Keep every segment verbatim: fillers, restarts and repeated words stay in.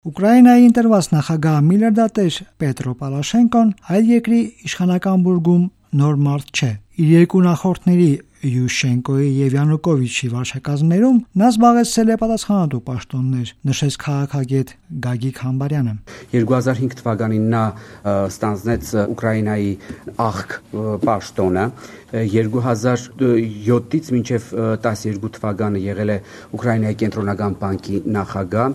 Ուկրաինայի ընտրված նախագահ միլիարդատեր Պետրո Պորոշենկոն այլ երկրի իշխանական բուրգում նոր մարդ չէ։ Իր երկու նախորդների Յուշենկոյի եւ Յանուկովիչի վարչակազմերում նա զբաղեցրել է պատասխանատու պաշտոններ, նշեց քաղաքագետ Գագիկ Համբարյանը։ երկու հազար հինգ թվականին նա ստանձնեց Ուկրաինայի աղք պաշտոնը, երկու հազար յոթից մինչև տասնյոթ թվականը եղել է Ուկրաինայի կենտրոնական բանկի նախագահ,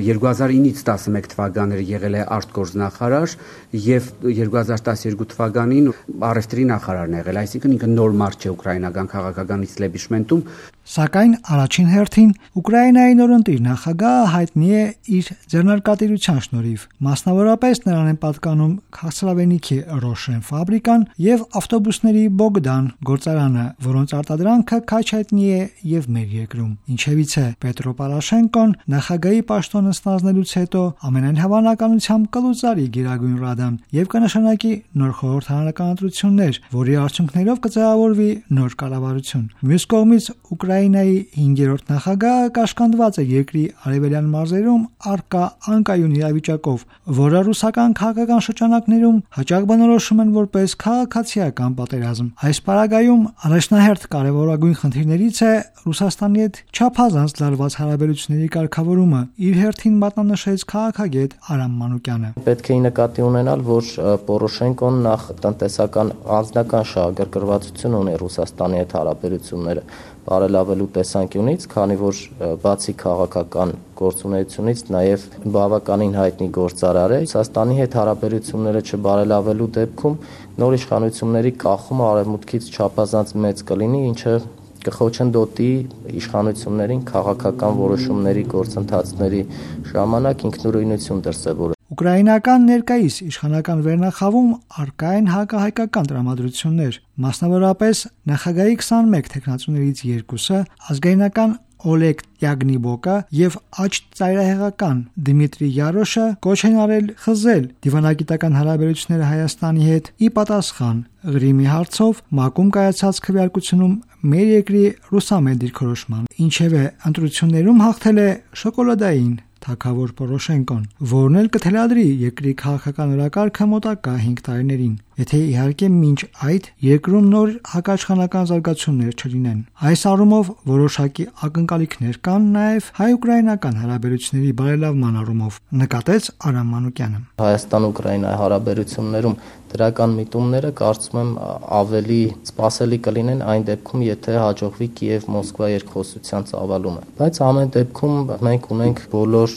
երկու հազար ինից տասնմեկ թվականները եղել է արտգործնախարար եւ երկու հազար տասնյոթ թվականին առևտրի նախարարն եղել, այսինքն ինքը նոր մարդ չէ ուկրաինական քաղաքական իստեբլիշմենտում։ Սակայն առաջին հերթին Ուկրաինայի նորընտիր նախագահը հայտնի է իր ձեռնարկատիրության շնորհիվ, մասնավորապես նրան են պատկանում քաղցրավենիքի Ռոշեն ֆաբրիկան եւ ավտոբուսների Բոգդան գործարանը, որոնց արտադրանքը քաչ հայտնի է եւ մեր երկրում։ Ինչևից է Պետրո Պորոշենկոն նախագահի պաշտոնը ստանձնելուց հետո ամենայն հավանականությամբ կլուծարի Գերագույն Ռադան եւ կնշանակի նոր խորհրդարանական ընտրություններ, որի արդյունքներով կձևավորվի նոր կառավարություն։ Մյուս կողմից Ուկրաինայի հինգերորդ նախագահը կաշկանդված է երկրի արևելյան մարզերում առկա անկայուն իրավիճակով, որը ռուսական քաղաքական շրջանակներում հաճախ բնորոշում են որպես քաղաքացիական պատերազմ։ Այս պարագայում առաջնահերթ կարևորագույն խնդիրներից է Ռուսաստանի հետ չափազանց լարված հարաբերությունների կարգավորումը, իր հերթին մատնանշեց քաղաքագետ Արամ Մանուկյանը։ Պետք է նկատի ունենալ, որ Պորոշենկոն նախ տնտեսական անձնական շահագրգռվածություն ունի Ռուսաստանի հետ հարաբերությունները բարելավելու տեսանկյունից, քանի որ բացի քաղաքական գործունեությունից նաև բավականին հայտնի գործարար է։ Ռուսաստանի հետ հարաբերությունները չբարելավելու դեպքում նոր իշխանությունների կախումը արևմուտքից չափազանց մեծ կլինի, ինչը կխոչընդոտի իշխանություններին քաղաքական որոշումների գործընթացների ժամանակ ինքնուրույնություն դրսևորել։ Ուկրաինական ներկայիս իշխանական վերնախավում առկա են հակահայկական տրամադրություններ, մասնավորապես նախագահի քսանմեկ թեկնածուներից երկուսը ազգայնական Օլեգ Յագնիբոկը եւ աջ ծայրահեղական Դմիտրի Յարոշը կոչ են արել խզել դիվանագիտական հարաբերությունները Հայաստանի հետ ի պատասխան Ղրիմի հարցով ՄԱԿ-ում կայացած քվեարկությունում մեր երկրի ռուսամետ դիրքորոշման։ Ինչևէ, ընտրություններում հաղթել է շոկոլադային թագավոր Պորոշենկոն, որն էլ կթելադրի երկրի քաղաքական օրակարգը մոտակա հինգ տարիներին, եթե իհարկե մինչ այդ երկրում նոր հակաիշխանական զարգացումներ չլինեն։ Այս առումով որոշակի ակնկալիքներ կան նաև հայ-ուկրաինական հարաբերությունների բարելավման առումով, նկատեց Արամ Մանուկյանը։ Հայաստան-Ուկրաինայի հարաբերություններում դրական միտումները կարծում եմ ավելի սպասելի կլինեն այն դեպքում, եթե հաջողվի Կիև-Մոսկվա երկխոսության ծավալումը։ Բայց ամեն դեպքում մենք ունենք բոլոր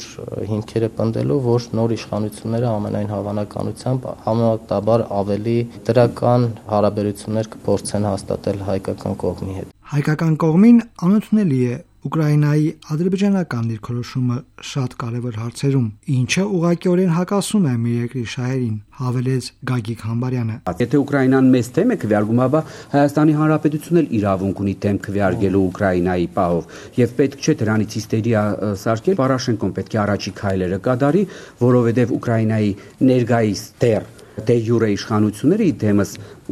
հիմքերը պնդելու, որ նոր իշխանությունները ամենայն հավանականությամբ համեմատաբար ավելի դրական հարաբերություններ կփորձեն հաստատել հայկական կողմի հետ։ Հայկական կողմին անընդունելի է Ուկրաինայի ադրբեջանական դիրքորոշումը շատ կարևոր հարցերում, ինչը ուղղակիորեն հակասում է մեր երկրի շահերին, հավելեց Գագիկ Համբարյանը։ Եթե Ուկրաինան մեզ թեմ է քվեարկում, ապա Հայաստանի Հանրապետությունն էլ իրավունք ունի թեմ քվեարկելու Ուկրաինայի պահով, եւ պետք չէ դրանից հիստերիա սարքել։ Պորոշենկոն պետք է առաջի քայլերը կատարի, որովհետեւ Ուկրաինայի ներկայիս դեռ դե յուրե իշխանությունները իդեմս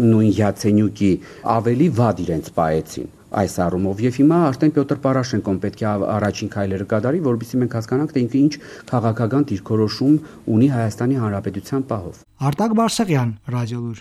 նույն Յացենյուկի ավելի վատ իրենց պահեցին այս առումով եւ հիմա արդեն Պյոտր Պորոշենկոն պետք է առաջին քայլերը կատարի, որովհետեւ մենք հասկանանք, թե ինքը ինչ քաղաքական դիրքորոշում ունի Հայաստանի Հանրապետության պահով։ Արտակ Բարսեղյան, Ռադիոլուր։